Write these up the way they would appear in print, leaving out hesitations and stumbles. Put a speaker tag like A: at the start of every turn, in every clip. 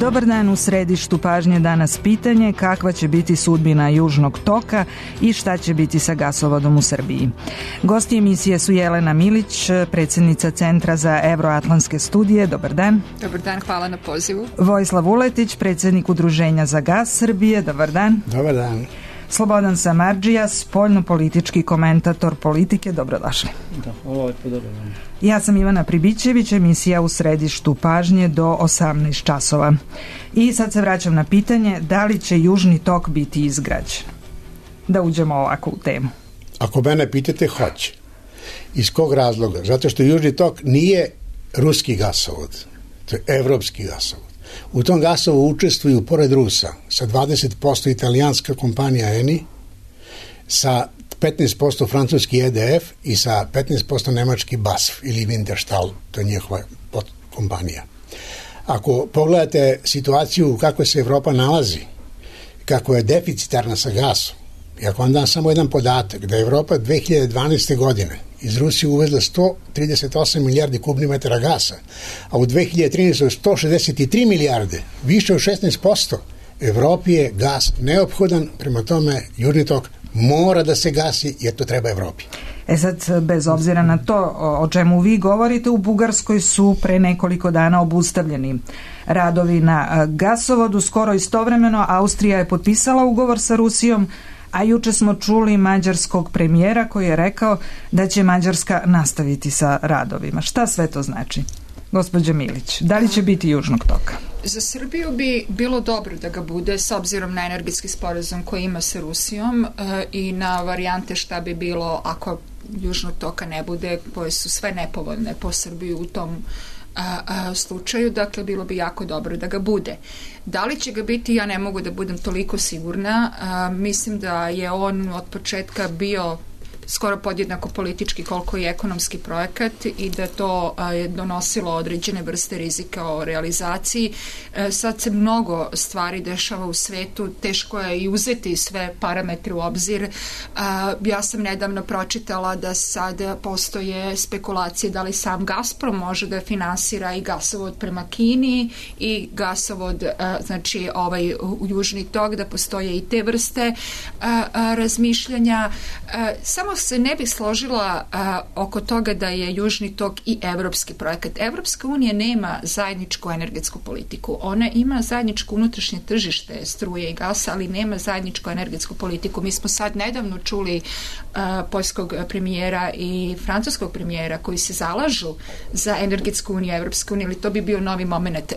A: Dobar dan, u središtu pažnje danas pitanje kakva će biti sudbina Južnog toka i šta će biti sa gasovodom u Srbiji. Gosti emisije su Jelena Milić, predsjednica Centra za evroatlantske studije. Dobar dan.
B: Dobar dan, hvala na pozivu.
A: Vojislav Vuletić, predsjednik Udruženja za gas Srbije. Dobar dan.
C: Dobar dan.
A: Slobodan Samardžija, spoljno-politički komentator Politike. Dobrodošli.
C: Dobar dan.
A: Ja sam Ivana Pribićević, emisija u središtu pažnje do 18 časova. I sad se vraćam na pitanje da li će Južni tok biti izgrađen. Da uđemo ovako u temu.
C: Ako mene pitate, hoće. Iz kog razloga? Zato što Južni tok nije ruski gasovod, to je evropski gasovod. U tom gasovu učestvuju, pored Rusa, sa 20% italijanska kompanija Eni, sa 15% francuski EDF i sa 15% nemački BASF ili Wintershall, to je njihova kompanija. Ako pogledate situaciju kako se Evropa nalazi, kako je deficitarna sa gasom, i ako vam dam samo jedan podatak, da je Evropa 2012. godine iz Rusije uvezla 138 milijardi kubnih metara gasa, a u 2013. 163 milijarde, više od 16%, Evropi je gas neophodan, prema tome Južni tok mora da se gasi jer to treba Evropi.
A: Sad, bez obzira na to o čemu vi govorite, u Bugarskoj su pre nekoliko dana obustavljeni radovi na gasovodu. Skoro istovremeno Austrija je potpisala ugovor sa Rusijom, a juče smo čuli mađarskog premijera koji je rekao da će Mađarska nastaviti sa radovima. Šta sve to znači? Gospođa Milić, da li će biti Južnog toka?
B: Za Srbiju bi bilo dobro da ga bude s obzirom na energetski sporazum koji ima sa Rusijom i na varijante šta bi bilo ako Južnog toka ne bude, koje su sve nepovoljne po Srbiju u tom slučaju, dakle bilo bi jako dobro da ga bude. Da li će ga biti, ja ne mogu da budem toliko sigurna. Mislim da je on od početka bio skoro podjednako politički koliko i ekonomski projekat i da to je donosilo određene vrste rizika o realizaciji. Sad se mnogo stvari dešava u svetu, teško je i uzeti sve parametre u obzir. Ja sam nedavno pročitala da sad postoje spekulacije da li sam Gazprom može da finansira i gasovod prema Kini i gasovod, znači ovaj Južni tok, da postoje i te vrste razmišljanja. Samo se ne bih složila oko toga da je Južni tok i evropski projekat. Evropska unija nema zajedničku energetsku politiku. Ona ima zajedničko unutrašnje tržište struje i gasa, ali nema zajedničku energetsku politiku. Mi smo sad nedavno čuli poljskog premijera i francuskog premijera koji se zalažu za energetsku uniju, Evropsku uniju, ali to bi bio novi moment.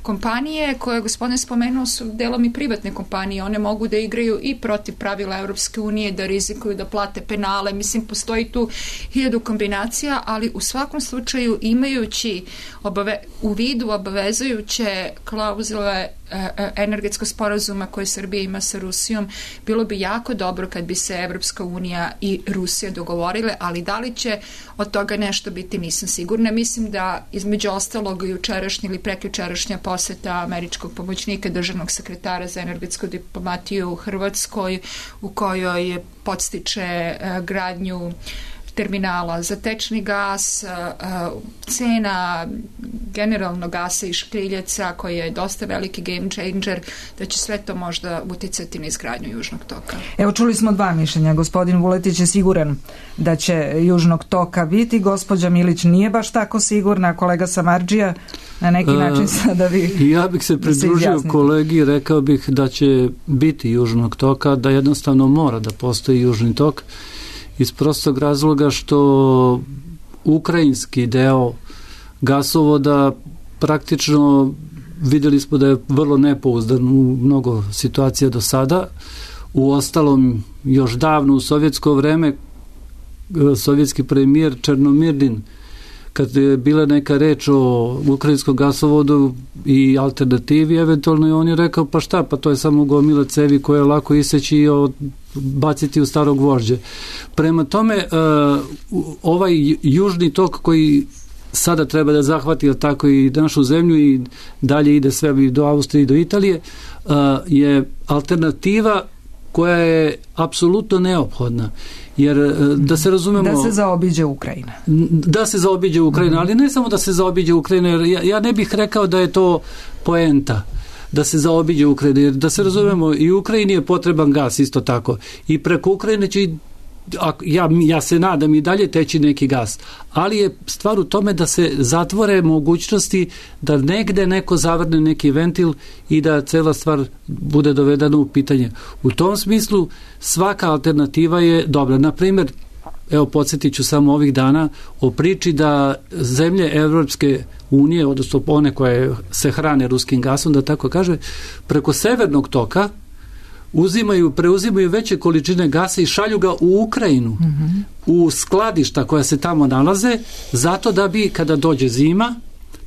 B: Kompanije koje gospodin spomenuo su delom i privatne kompanije. One mogu da igraju i protiv pravila Evropske unije, da rizikuju da plate penale. Mislim, postoji tu 1000 kombinacija, ali u svakom slučaju imajući u vidu obavezujuće klauzule energetskog sporazuma koje Srbija ima sa Rusijom, bilo bi jako dobro kad bi se Evropska unija i Rusija dogovorile, ali da li će od toga nešto biti, nisam sigurna. Mislim da između ostalog jučerašnja ili prekjučerašnja poseta američkog pomoćnika državnog sekretara za energetsku diplomatiju u Hrvatskoj, u kojoj podstiče gradnju terminala za tečni gas, cena generalno gasa i škriljeca koji je dosta veliki game changer, da će sve to možda uticati na izgradnju Južnog toka.
A: Evo, čuli smo dva mišljenja. Gospodin Vuletić je siguran da će Južnog toka biti, gospođa Milić nije baš tako sigurna, kolega Samardžija na neki način sada vi.
D: Ja bih se pridružio kolegi, rekao bih da će biti Južnog toka, da jednostavno mora da postoji Južni tok, iz prostog razloga što ukrajinski deo gasovoda praktično vidjeli smo da je vrlo nepouzdan u mnogo situacija do sada. Uostalom, još davno u sovjetsko vreme sovjetski premijer Černomirdin, kad je bila neka reč o ukrajinskom gasovodu i alternativi, eventualno on je rekao pa šta, pa to je samo gomila cevi koje je lako iseći i baciti u staro gvožđe. Prema tome, ovaj Južni tok koji sada treba da zahvati tako i našu zemlju i dalje ide sve do Austrije i do Italije, je alternativa koja je apsolutno neophodna. Jer da se razumemo...
A: Da se zaobiđe Ukrajina.
D: Da se zaobiđe Ukrajina, ali ne samo da se zaobiđe Ukrajina, jer ja ne bih rekao da je to poenta. da se zaobiđe Ukrajina. Jer da se razumemo, i Ukrajini je potreban gas isto tako. I preko Ukrajine će ja se nadam i dalje teći neki gas, ali je stvar u tome da se zatvore mogućnosti da negde neko zavrne neki ventil i da cela stvar bude dovedena u pitanje. U tom smislu svaka alternativa je dobra. Na primjer, evo podsjetit ću samo ovih dana o priči da zemlje Evropske unije, odnosno one koje se hrane ruskim gasom, da tako kaže, preko severnog toka preuzimaju veće količine gasa i šalju ga u Ukrajinu, u skladišta koja se tamo nalaze, zato da bi, kada dođe zima,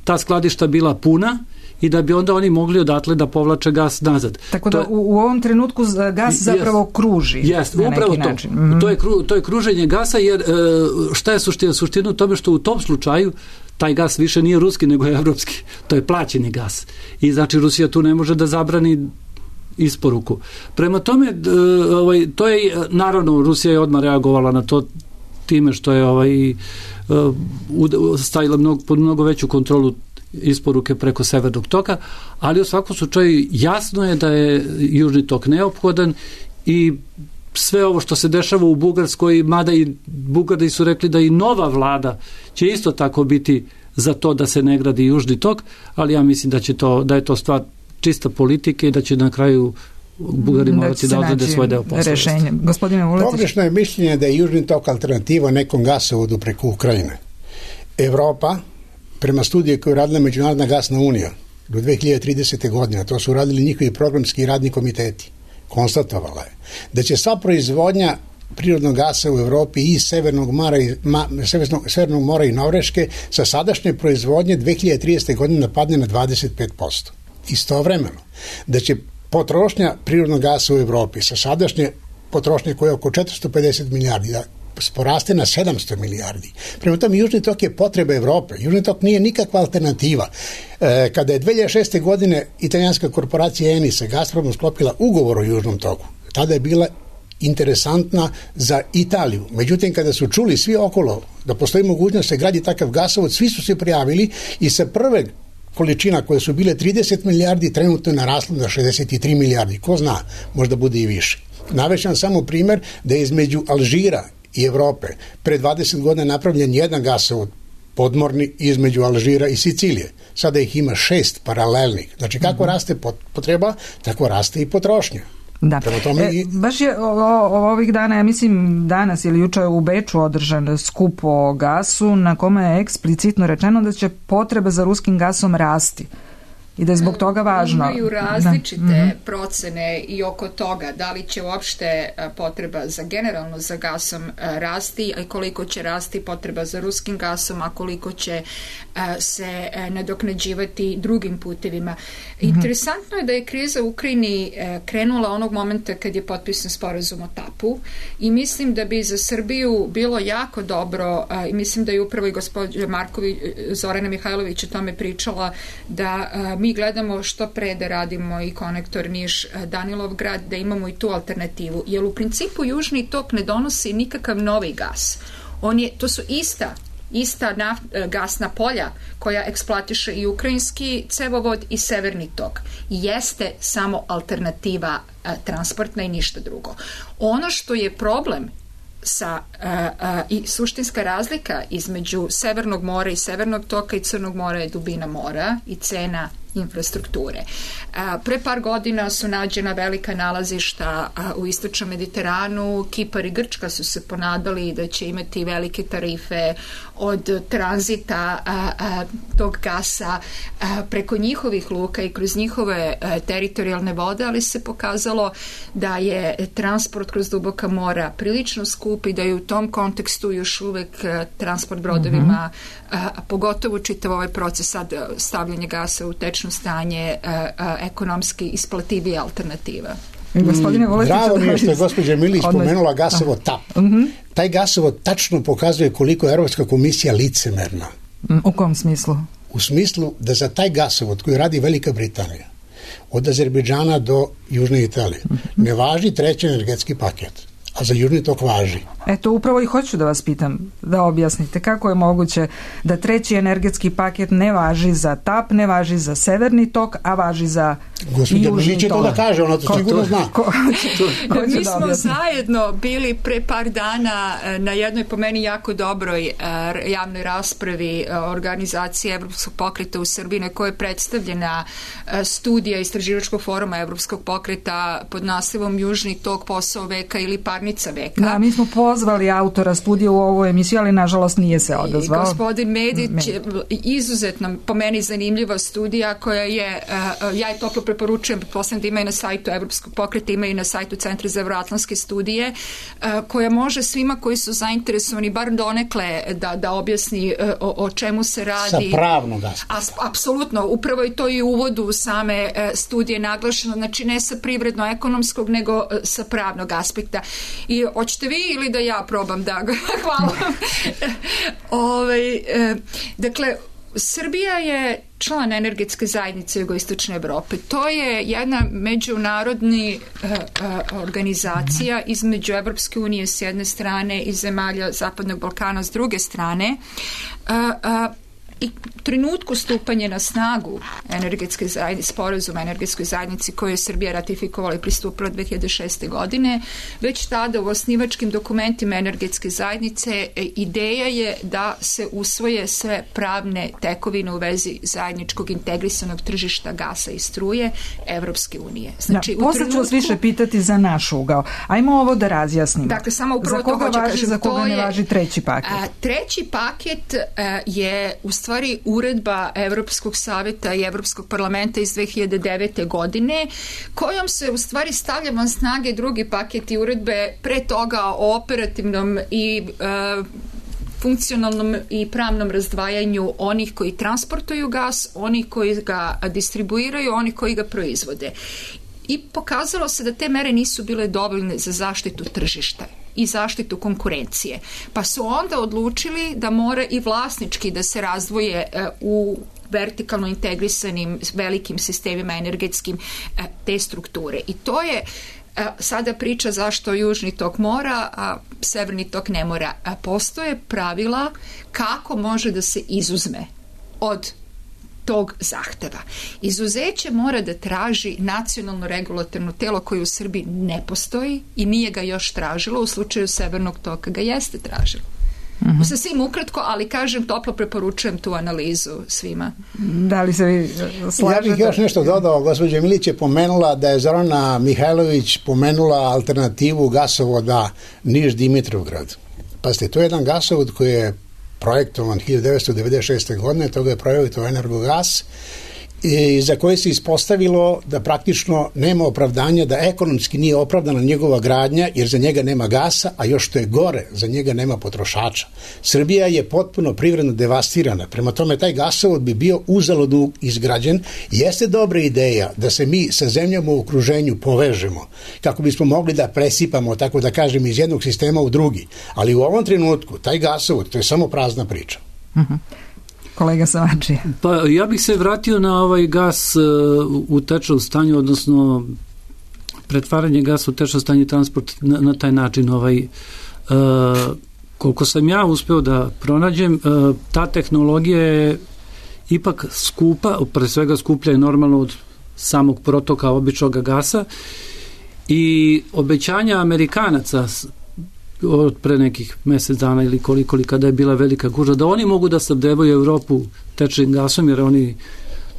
D: ta skladišta bila puna i da bi onda oni mogli odatle da povlače gas nazad.
A: Tako da u ovom trenutku gas zapravo kruži na neki način.
D: To je kruženje gasa, jer šta je suština? Suština u tome što u tom slučaju taj gas više nije ruski, nego je evropski. To je plaćeni gas. I znači Rusija tu ne može da zabrani isporuku. Prema tome, to je, naravno, Rusija je odmah reagovala na to time što je stavila pod mnogo veću kontrolu isporuke preko severnog toka, ali u svakom slučaju jasno je da je južni tok neophodan i sve ovo što se dešava u Bugarskoj, mada i Bugari su rekli da i nova vlada će isto tako biti za to da se ne gradi južni tok, ali ja mislim da je to stvar čista politike i da će na kraju Bugari morati da odrede svoj deo posla.
A: Gospodine Vuletić.
C: Pogrešno je mišljenje da je južni tok alternativa nekom gasovodu preko Ukrajine. Evropa, prema studije koju je radila Međunarodna gasna unija do 2030. godine, to su radili njihovi programski i radni komiteti, konstatovala je da će sva proizvodnja prirodnog gasa u Evropi i Severnog mora i Norveške sa sadašnje proizvodnje 2030. godine padne na 25%. Istovremeno, da će potrošnja prirodnog gasa u Evropi sa sadašnje potrošnje koja je oko 450 milijardi da poraste na 700 milijardi. Prema tome, južni tok je potreba Evrope. Južni tok nije nikakva alternativa. Kada je 2006. godine italijanska korporacija Eni sa Gazpromom sklopila ugovor o južnom toku, tada je bila interesantna za Italiju. Međutim, kada su čuli svi okolo da postoji mogućnost da se gradi takav gasovod, svi su se prijavili i sa prve količina koje su bile 30 milijardi trenutno je naraslo na 63 milijardi. Ko zna, možda bude i više. Navešćam samo primjer da je između Alžira i Evrope pre 20 godina napravljen jedan gasovod podmorni između Alžira i Sicilije. Sada ih ima 6 paralelnih. Znači kako raste potreba, tako raste i potrošnja.
A: Da. Baš je ovih dana, ja mislim danas ili jučer u Beču održan skup o gasu na kome je eksplicitno rečeno da će potreba za ruskim gasom rasti i da je zbog toga važno.
B: Imaju različite procene i oko toga da li će uopšte potreba generalno za gasom rasti, a koliko će rasti potreba za ruskim gasom, a koliko će se nadoknađivati drugim putevima. Interesantno je da je kriza u Ukrajini krenula onog momenta kad je potpisan sporazum o TAP-u i mislim da bi za Srbiju bilo jako dobro, i mislim da je upravo i gospođa Zorana Mihajlović o tome pričala, da mi gledamo što pre da radimo i konektor Niš-Danilovgrad, da imamo i tu alternativu. Jer u principu južni tok ne donosi nikakav novi gas. To su ista gasna polja koja eksploatiše i ukrajinski cevovod i severni tok. Jeste samo alternativa transportna i ništa drugo. Ono što je problem i suštinska razlika između Severnog mora i Severnog toka i Crnog mora je dubina mora i cena infrastrukture. Pre par godina su nađena velika nalazišta u istočnom Mediteranu. Kipar i Grčka su se ponadali da će imati velike tarife od tranzita tog gasa preko njihovih luka i kroz njihove teritorijalne vode, ali se pokazalo da je transport kroz duboka mora prilično skup i da je u tom kontekstu još uvek transport brodovima, pogotovo čitav ovaj proces sad stavljanja gasa u tečno stanje, ekonomski isplativija alternativa.
C: Bravo mi je što je gospođa Milić spomenula gasovod TAP. Taj gasovod tačno pokazuje koliko je Evropska komisija licemerna.
A: U kom smislu?
C: U smislu da za taj gasovod koji radi Velika Britanija od Azerbejdžana do Južne Italije ne važi treći energetski paket, a za južni tok važi.
A: Eto, upravo i hoću da vas pitam, da objasnite kako je moguće da treći energetski paket ne važi za TAP, ne važi za severni tok, a važi za
C: Gospođa Milić je to da kaže, ona to sigurno zna.
B: Mi smo zajedno bili pre par dana na jednoj po meni jako dobroj javnoj raspravi organizacije Evropskog pokreta u Srbiji, na kojoj je predstavljena studija Istraživačkog foruma Evropskog pokreta pod naslovom Južni tok, posao veka ili parnica veka.
A: Da, mi smo pozvali autora studije u ovu emisiju, ali nažalost nije se odazvao.
B: Gospodin Medić, izuzetno po meni zanimljiva studija koja je, ja je toplo preporučujem, pretpostavljam da ima i na sajtu Evropskog pokreta, ima i na sajtu Centra za evroatlantske studije, koja može svima koji su zainteresovani bar donekle da objasni o čemu se radi.
C: Sa pravnog aspekta.
B: Apsolutno, upravo je to i u uvodu same studije naglašeno, znači ne sa privredno-ekonomskog, nego sa pravnog aspekta. I hoćete vi ili da ja probam da ga... Hvala. Dakle, Srbija je član energetske zajednice jugoistočne Evrope. To je jedna međunarodni organizacija između Evropske unije s jedne strane i zemalja Zapadnog Balkana s druge strane. I trenutku stupanja na snagu energetske zajednice, sporazuma energetskoj zajednici koju je Srbija ratifikovala i pristupila 2006. godine, već tada u osnivačkim dokumentima energetske zajednice ideja je da se usvoje sve pravne tekovine u vezi zajedničkog integrisanog tržišta gasa i struje Evropske unije. Znači,
A: posle ću vas više pitati za naš ugao. Ajmo ovo da razjasnimo.
B: Dakle, samo upravo
A: za koga važi, za koga ne važi treći paket?
B: Treći paket je u stvari uredba Evropskog savjeta i Evropskog parlamenta iz 2009. godine, kojom se u stvari stavlja van snage drugi paket i uredbe pre toga o operativnom i funkcionalnom i pravnom razdvajanju onih koji transportuju gas, onih koji ga distribuiraju, onih koji ga proizvode. I pokazalo se da te mere nisu bile dovoljne za zaštitu tržišta i zaštitu konkurencije. Pa su onda odlučili da mora i vlasnički da se razdvoje u vertikalno integrisanim velikim sistemima energetskim te strukture. I to je sada priča zašto Južni tok mora, a Severni tok ne mora. Postoje pravila kako može da se izuzme od tog zahteva. Izuzeće mora da traži nacionalno regulatorno telo koje u Srbiji ne postoji i nije ga još tražilo, u slučaju Severnog toka ga jeste tražilo. Sasvim ukratko, ali kažem, toplo preporučujem tu analizu svima.
A: Da li se vi slažete?
C: Ja bih još nešto dodao. Gospođa Milić je pomenula da je Zorana Mihajlović pomenula alternativu gasovoda Niš-Dimitrovgrad. Pazite, to je jedan gasovod koji je projektovan 1996. godine, toga je projektovao Energogas, i za koje se ispostavilo da praktično nema opravdanja, da ekonomski nije opravdana njegova gradnja, jer za njega nema gasa, a još što je gore, za njega nema potrošača. Srbija je potpuno privredno devastirana, prema tome taj gasovod bi bio uzaludno izgrađen. Jeste dobra ideja da se mi sa zemljama u okruženju povežemo, kako bismo mogli da presipamo, tako da kažem, iz jednog sistema u drugi, ali u ovom trenutku taj gasovod, to je samo prazna priča.
A: Kolega Savačija.
D: Pa ja bih se vratio na ovaj gas u tečnom stanju, odnosno pretvaranje gasa u tečno stanje, transport na taj način. Koliko sam ja uspeo da pronađem, ta tehnologija je ipak skupa, pre svega skuplja je normalno od samog protoka običnog gasa, i obećanja Amerikanaca od pre nekih mjesec dana ili koliko, kada je bila velika gužva, da oni mogu da snabdevaju Evropu tečnim gasom, jer oni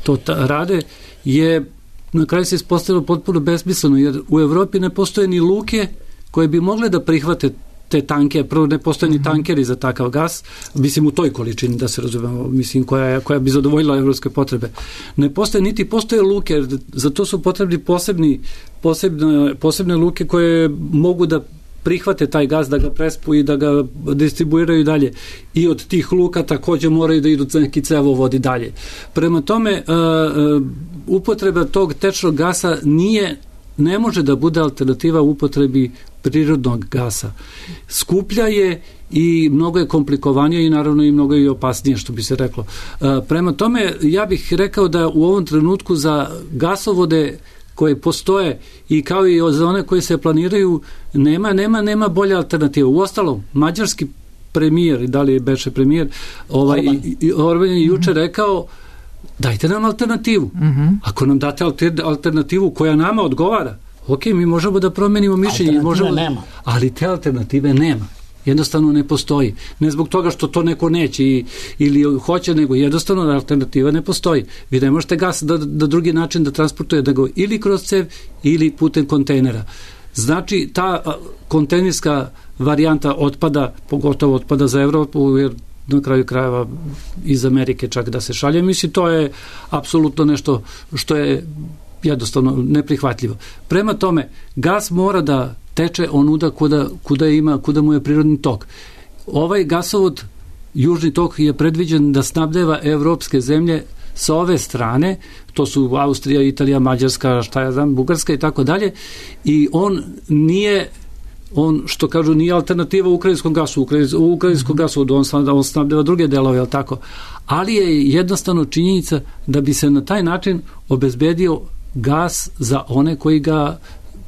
D: to rade, je na kraju se ispostavilo potpuno besmisleno, jer u Evropi ne postoje ni luke koje bi mogle da prihvate te tanke, prvo ne postoje ni tankeri za takav gas, mislim u toj količini, da se razumemo, mislim koja bi zadovoljila evropske potrebe. Ne postoje, niti postoje luke, za to su potrebni posebne luke koje mogu da prihvate taj gas, da ga prespu i da ga distribuiraju dalje. I od tih luka također moraju da idu neki cevovodi dalje. Prema tome, upotreba tog tečnog gasa ne može da bude alternativa upotrebi prirodnog gasa. Skuplja je i mnogo je komplikovanije i naravno i mnogo je opasnije, što bi se reklo. Prema tome, ja bih rekao da u ovom trenutku za gasovode koje postoje i kao i za one koje se planiraju nema bolja alternativa. Uostalom, mađarski premijer, da li je beše premijer, Orban je juče rekao dajte nam alternativu. Ako nam date alternativu koja nama odgovara, ok, mi možemo da promenimo mišljenje,
C: nema.
D: Ali te alternative nema. Jednostavno ne postoji. Ne zbog toga što to neko neće ili hoće, nego jednostavno alternativa ne postoji. Vi ne možete gas da drugi način da transportuje, nego ili kroz cev ili putem kontejnera. Znači, ta kontejnerska varijanta otpada, pogotovo otpada za Evropu, jer na kraju krajeva iz Amerike čak da se šalje, mislim, to je apsolutno nešto što je jednostavno neprihvatljivo. Prema tome, gas mora da teče onuda kuda mu je prirodni tok. Ovaj gasovod, južni tok, je predviđen da snabdeva evropske zemlje sa ove strane, to su Austrija, Italija, Mađarska, Bugarska i tako dalje, i on nije, što kažu, nije alternativa ukrajinskom gasu. Ukrajinskom gasovodu on snabdeva druge delove, jel tako? Ali je jednostavno činjenica da bi se na taj način obezbedio gas za one koji ga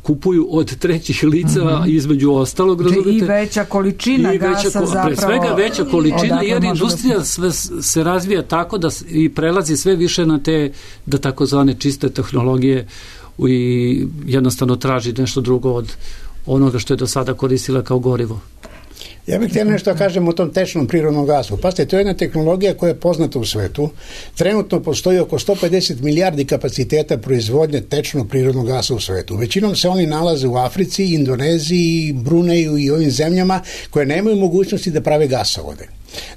D: kupuju od trećih lica, između ostalog, razumite?
A: I veća količina gasa zapravo.
D: Pre svega veća količina, jer industrija se razvija tako da i prelazi sve više na te, da takozvane čiste tehnologije, i jednostavno traži nešto drugo od onoga što je do sada koristila kao gorivo.
C: Ja bih htio nešto kažem o tom tečnom prirodnom gasu. Pazite, to je jedna tehnologija koja je poznata u svetu. Trenutno postoji oko 150 milijardi kapaciteta proizvodnje tečnog prirodnog gasa u svetu. Većinom se oni nalaze u Africi, Indoneziji, Bruneju i ovim zemljama koje nemaju mogućnosti da prave gasovode.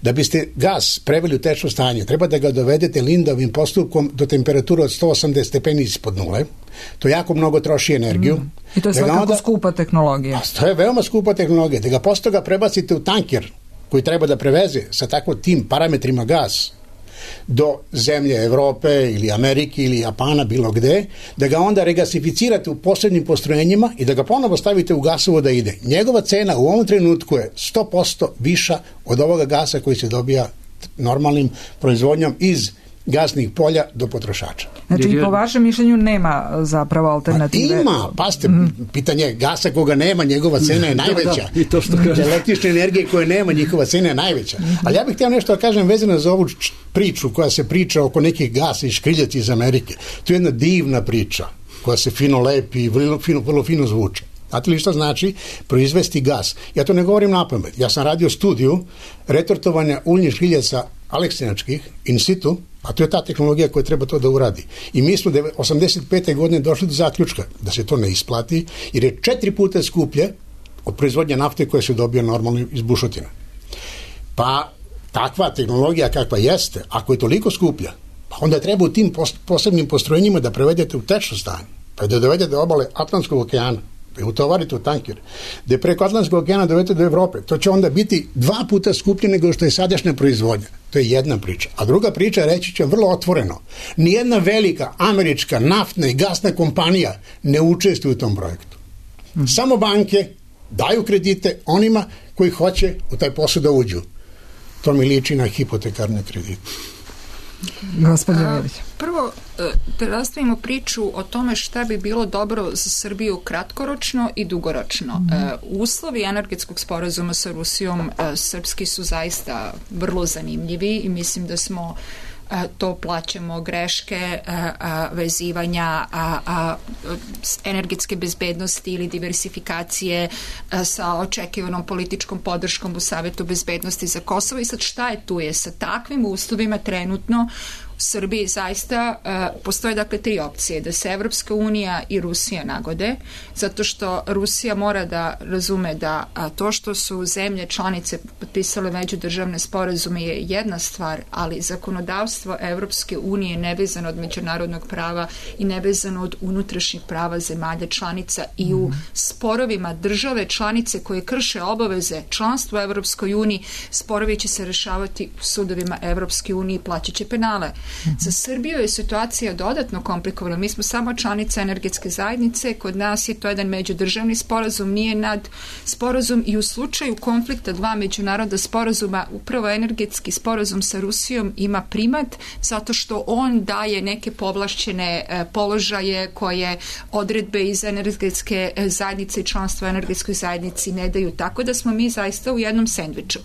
C: Da biste gas preveli u tečno stanje, treba da ga dovedete Lindovim postupkom do temperature od 180 stepeni ispod nule. To jako mnogo troši energiju.
A: I to je svakako skupa tehnologija.
C: To je veoma skupa tehnologija. Da ga posle toga prebacite u tanker koji treba da preveze sa tako tim parametrima gas do zemlje Evrope ili Amerike ili Japana, bilo gde, da ga onda regasificirate u posebnim postrojenjima i da ga ponovo stavite u gasovo da ide. Njegova cena u ovom trenutku je 100% viša od ovoga gasa koji se dobija normalnim proizvodnjom iz gasnih polja do potrošača.
A: Znači, i po vašem mišljenju nema zapravo alternative?
C: Ima, pasite, pitanje gasa koga nema, njegova cena je najveća.
D: I to što kaže.
C: Električne energije koje nema, njihova cena je najveća. Ali ja bih htio nešto da kažem vezano za ovu priču koja se priča oko nekih gasa i škriljaca iz Amerike. To je jedna divna priča koja se fino lepi i vrlo fino zvuči. Znate li što znači proizvesti gas? Ja to ne govorim napamet. Ja sam radio studiju retortovanja uljnih škriljaca aleksinačkih in situ, a to je ta tehnologija koja treba to da uradi. I mi smo 85. godine došli do zaključka da se to ne isplati, jer je 4 puta skuplje od proizvodnje nafte koja se dobija normalno iz bušotina. Pa takva tehnologija kakva jeste, ako je toliko skuplja, pa onda treba u tim posebnim postrojenjima da prevedete u tečno stanje, pa da dovedete do obale Atlantskog okeana, da je utovarite u tanker, da je preko Atlantskog okeana dovedete do Evrope. To će onda biti 2 puta skuplje nego što je sadašnja proizvodnja. To je jedna priča. A druga priča, reći ću vrlo otvoreno, nijedna velika američka naftna i gasna kompanija ne učestvuje u tom projektu. Samo banke daju kredite onima koji hoće u taj posao da uđu. To mi liči na hipotekarne kredite.
B: Prvo, da rastavimo priču o tome šta bi bilo dobro za Srbiju kratkoročno i dugoročno. Uslovi energetskog sporazuma sa Rusijom srpski su zaista vrlo zanimljivi i mislim da smo to plaćamo greške vezivanja energetske bezbednosti ili diversifikacije sa očekivanom političkom podrškom u Savetu bezbednosti za Kosovo. I sad šta je tu je? Sa takvim uslovima trenutno u Srbiji zaista postoje dakle 3 opcije, da se Evropska unija i Rusija nagode, zato što Rusija mora da razume da to što su zemlje članice potpisale međudržavne sporazume je jedna stvar, ali zakonodavstvo Evropske unije nevezano od međunarodnog prava i nevezano od unutrašnjih prava zemalja članica i u sporovima države članice koje krše obaveze članstva u Evropskoj uniji, sporovi će se rešavati u sudovima Evropske unije i plaćat će penale. Za Srbiju je situacija dodatno komplikovana. Mi smo samo članica energetske zajednice, kod nas je to jedan međudržavni sporazum, nije nad sporazum i u slučaju konflikta 2 međunarodna sporazuma upravo energetski sporazum sa Rusijom ima primat zato što on daje neke povlašćene položaje koje odredbe iz energetske zajednice i članstva u energetskoj zajednici ne daju, tako da smo mi zaista u jednom sendviču.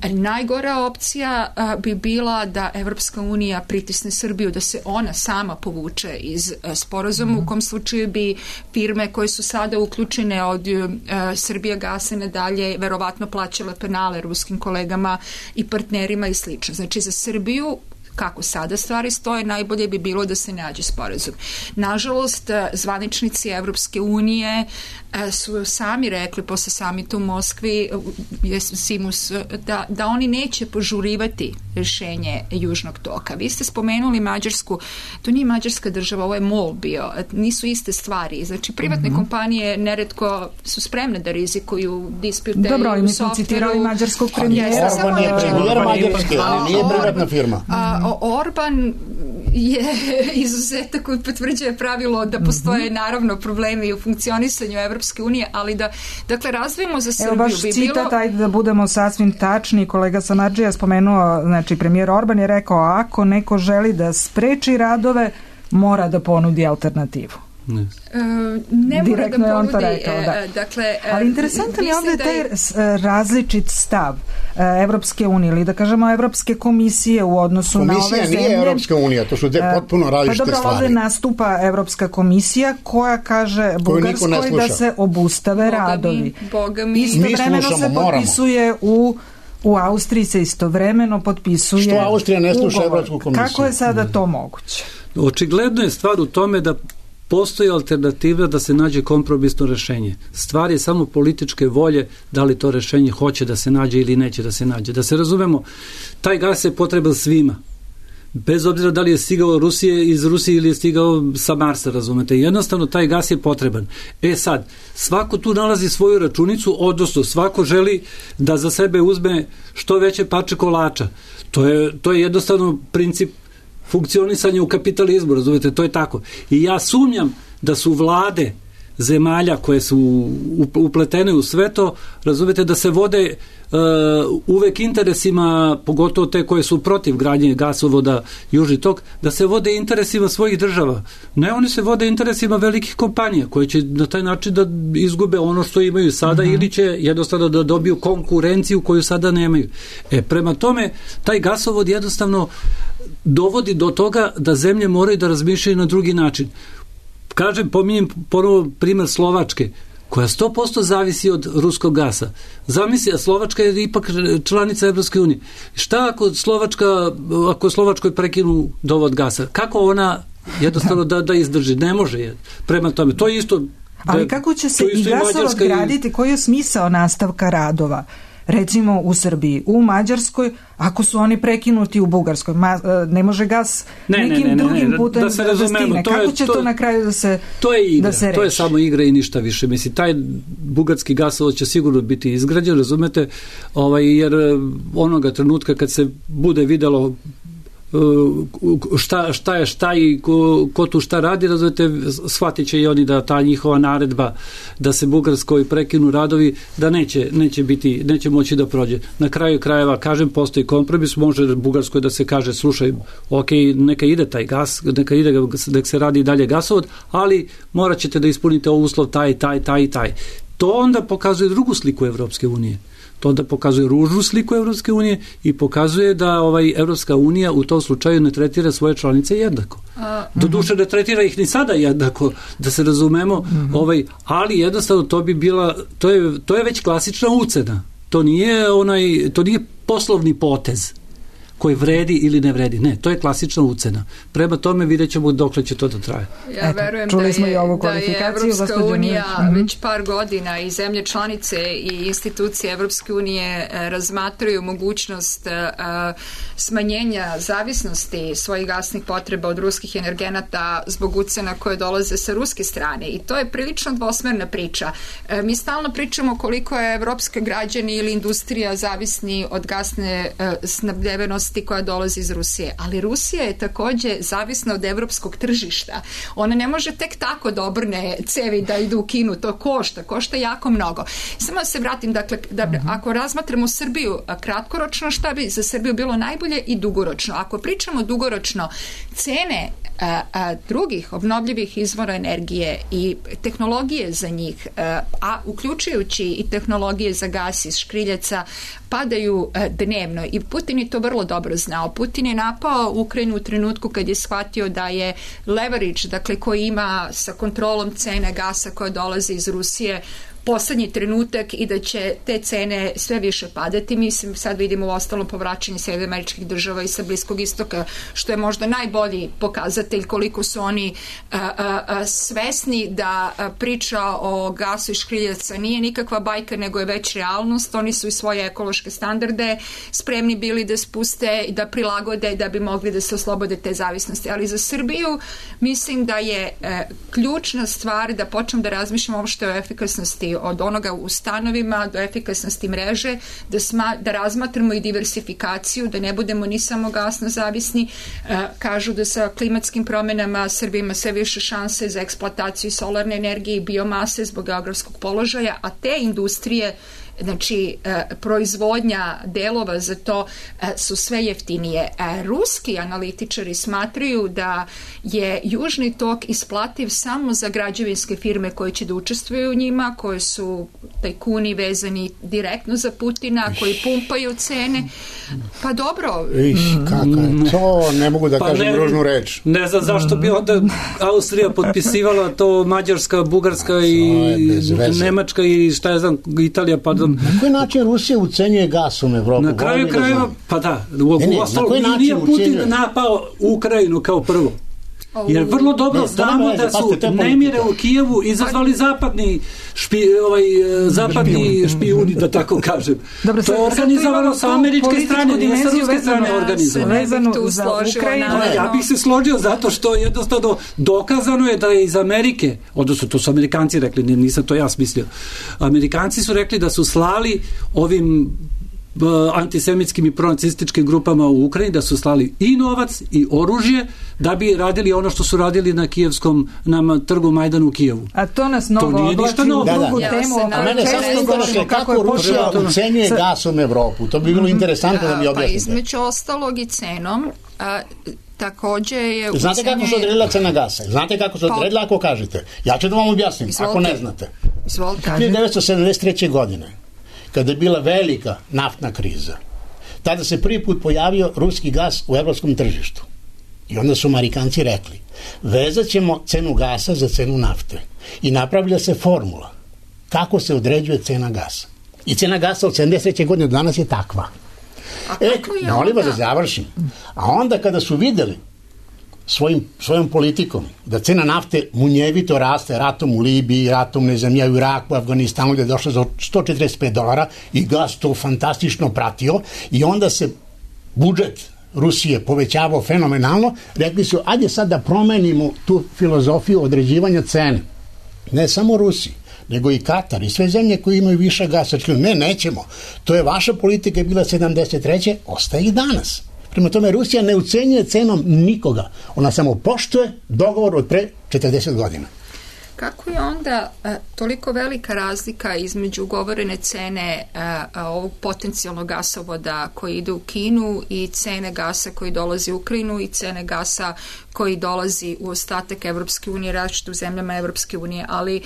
B: Najgora opcija bi bila da Evropska unija pritisne Srbiju da se ona sama povuče iz sporazuma, u kom slučaju bi firme koje su sada uključene od Srbija gasa nadalje verovatno plaćale penale ruskim kolegama i partnerima i slično. Znači za Srbiju, kako sada stvari stoje, najbolje bi bilo da se nađe sporazum. Nažalost, zvaničnici Evropske unije su sami rekli posle samita u Moskvi da oni neće požurivati rješenje Južnog toka. Vi ste spomenuli Mađarsku, to nije mađarska država, ovo je MOL bio, nisu iste stvari. Znači, privatne kompanije neretko su spremne da rizikuju dispute u softveru.
A: Dobro, mi smo citirali mađarskog premijera.
C: Orban je premijer Mađarske, nije privatna firma.
B: Orban je izuzetak koji potvrđuje pravilo da postoje naravno problemi u funkcionisanju Evropske unije, ali da, dakle, razvijemo za Srbiju.
A: Evo baš citat, ajde da budemo sasvim tačni, kolega Samardžija spomenuo, znači premijer Orban je rekao, ako neko želi da spreči radove, mora da ponudi alternativu.
B: Ne mora da ponudi,
A: rekao, da.
B: Dakle,
A: ali interesantan je ovdje taj različit stav Evropske unije ili da kažemo Evropske komisije u odnosu na ove zemlje.
C: Komisija nije Evropska unija, to su potpuno različite stvari.
A: Pa dobro, ovdje nastupa Evropska komisija koja kaže Bugarskoj da se obustave radovi. Istovremeno se potpisuje u Austriji se istovremeno potpisuje
C: što Austrija ne sluša
A: ugovor.
C: Evropsku komisiju?
A: Kako je sada to moguće?
D: Očigledno je stvar u tome da postoji alternativa da se nađe kompromisno rešenje. Stvar je samo političke volje da li to rešenje hoće da se nađe ili neće da se nađe. Da se razumemo, taj gas je potreban svima. Bez obzira da li je stigao iz Rusije ili je stigao sa Marsa, razumete. Jednostavno, taj gas je potreban. Sad, svako tu nalazi svoju računicu, odnosno svako želi da za sebe uzme što veće parče kolača. To je jednostavno princip funkcionisanje u kapitalizmu, razumete, to je tako. I ja sumnjam da su vlade zemalja koje su upletene u sve to, razumete, da se vode uvek interesima, pogotovo te koje su protiv gradnje gasovoda Južni tok, da se vode interesima svojih država. Ne, oni se vode interesima velikih kompanija koje će na taj način da izgube ono što imaju sada ili će jednostavno da dobiju konkurenciju koju sada nemaju. Prema tome, taj gasovod jednostavno dovodi do toga da zemlje moraju da razmišljaju na drugi način. Kažem, pominjem ponovo primjer Slovačke, koja 100% zavisi od ruskog gasa. Zamisli, a Slovačka je ipak članica Evropske unije. Šta ako Slovačkoj prekinu dovod gasa? Kako ona jednostavno da izdrži? Ne može. Prema tome, to je isto...
A: Ali kako će se i gasovod graditi? Koji je smisao nastavka radova? Recimo u Srbiji, u Mađarskoj, ako su oni prekinuti u Bugarskoj, ne može gas nekim drugim putem da stigne. Kako će to na kraju da se reši?
D: To je samo igra i ništa više. Mislim, taj bugarski gasovod će sigurno biti izgrađen, razumete, jer onoga trenutka kad se bude videlo šta je šta i ko tu šta radi, razumete, shvatit će i oni da ta njihova naredba da se Bugarskoj prekinu radovi, da neće moći da prođe. Na kraju krajeva, kažem, postoji kompromis, može Bugarskoj da se kaže, slušaj, ok, neka ide taj gas, neka se radi dalje gasovod, ali morat ćete da ispunite uslov taj. To onda pokazuje drugu sliku Evropske unije. To onda pokazuje ružnu sliku Evropske unije i pokazuje da Evropska unija u tom slučaju ne tretira svoje članice jednako. Doduše ne tretira ih ni sada jednako, da se razumemo, ali jednostavno to bi bila, to je već klasična ucena. To nije poslovni potez koji vredi ili ne vredi. Ne, to je klasična ucena. Prema tome vidjet ćemo dokle će to da traje.
B: Ja verujem da je Evropska unija već par godina i zemlje članice i institucije Evropske unije razmatraju mogućnost smanjenja zavisnosti svojih gasnih potreba od ruskih energenata zbog ucena koje dolaze sa ruske strane. I to je prilično dvosmerna priča. Mi stalno pričamo koliko je evropske građani ili industrija zavisni od gasne snabdevenosti koja dolazi iz Rusije. Ali Rusija je također zavisna od evropskog tržišta. Ona ne može tek tako da obrne cevi da idu u Kinu. To košta jako mnogo. Samo da se vratim, dakle, ako razmatramo Srbiju kratkoročno, šta bi za Srbiju bilo najbolje? najbolje i dugoročno. Ako pričamo dugoročno, cene drugih obnovljivih izvora energije i tehnologije za njih, a uključujući i tehnologije za gas iz škriljaca, padaju dnevno i Putin je to vrlo dobro znao. Putin je napao Ukrajinu u trenutku kad je shvatio da je leverage, dakle koji ima sa kontrolom cene gasa koja dolazi iz Rusije, poslednji trenutak i da će te cene sve više padati. Mislim, sad vidimo u ostalom povraćanje Sjedinjenih Američkih Država i sa Bliskog istoka, što je možda najbolji pokazatelj koliko su oni svesni da priča o gasu i škriljaca nije nikakva bajka, nego je već realnost. Oni su i svoje ekološke standarde spremni bili da spuste i da prilagode da bi mogli da se oslobode te zavisnosti. Ali za Srbiju mislim da je ključna stvar da počnemo da razmišljamo uopšte o efikasnosti od onoga u stanovima do efikasnosti mreže, da razmatramo i diversifikaciju, da ne budemo ni samo gasno zavisni. Kažu da sa klimatskim promenama Srbija ima sve više šanse za eksploataciju solarne energije i biomase zbog geografskog položaja, a te industrije, znači proizvodnja delova za to su sve jeftinije. Ruski analitičari smatraju da je Južni tok isplativ samo za građevinske firme koje će da učestvuju u njima, koje su tajkuni vezani direktno za Putina, koji pumpaju cene. Pa dobro.
C: To ne mogu da kažem ružnu reč.
D: Ne znam zašto bi onda Austrija potpisivala to, Mađarska, Bugarska i Nemačka i šta ja znam, Italija, pardon.
C: Na koji način Rusija ucenjuje gasom Evropu?
D: Na kraju krajeva, pa da, nije Putin napao Ukrajinu kao prvo. Jer vrlo dobro znamo da su nemire u Kijevu izazvali zapadni špijuni, da tako kažem. To je organizovano sa američke strane, nije sa ruske strane organizovano. Ja bih se složio zato što jednostavno dokazano je da je iz Amerike, odnosno to su Amerikanci rekli, nisam to ja smislio, Amerikanci su rekli da su slali ovim antisemitskim i pronacističkim grupama u Ukrajini, da su slali i novac i oružje da bi radili ono što su radili na kijevskom, na trgu Majdanu u Kijevu.
A: A to nas mnogo oblači u drugu temu.
C: A mene samo interesuje kako Rusija ucenjuje gasom Evropu. To bi bilo interesantno da mi objasnite.
B: Pa između ostalog i cenom, takođe je ucenje...
C: Znate kako se odredila cena gasa? Znate kako se odredila ako kažete? Ja ću da vam objasnim, ako ne znate. 1973. godine, kada je bila velika naftna kriza, tada se prvi put pojavio ruski gas u evropskom tržištu. I onda su Amerikanci rekli, vezat ćemo cenu gasa za cenu nafte. I napravlja se formula kako se određuje cena gasa. I cena gasa od 73. godine do danas je takva. Molim vas da završim. A onda kada su videli svojom politikom da cena nafte munjevito raste ratom u Libiji, ratom ne znam u Iraku, u Afganistanu, gde je došlo za $145 i gas to fantastično pratio i onda se budžet Rusije povećavao fenomenalno, rekli su, ajde sad da promenimo tu filozofiju određivanja cene. Ne samo Rusiji, nego i Katar i sve zemlje koje imaju više gasa. Ne, nećemo. To je vaša politika je bila 73. ostaje i danas. Prema tome, Rusija ne ucenjuje cenom nikoga. Ona samo poštuje dogovor od pre 40 godina.
B: Kako je onda toliko velika razlika između ugovorene cene ovog potencijalnog gasovoda koji ide u Kinu i cene gasa koji dolazi u Ukrajinu i cene gasa koji dolazi u ostatak Evropske unije, različite u zemljama Evropske unije, ali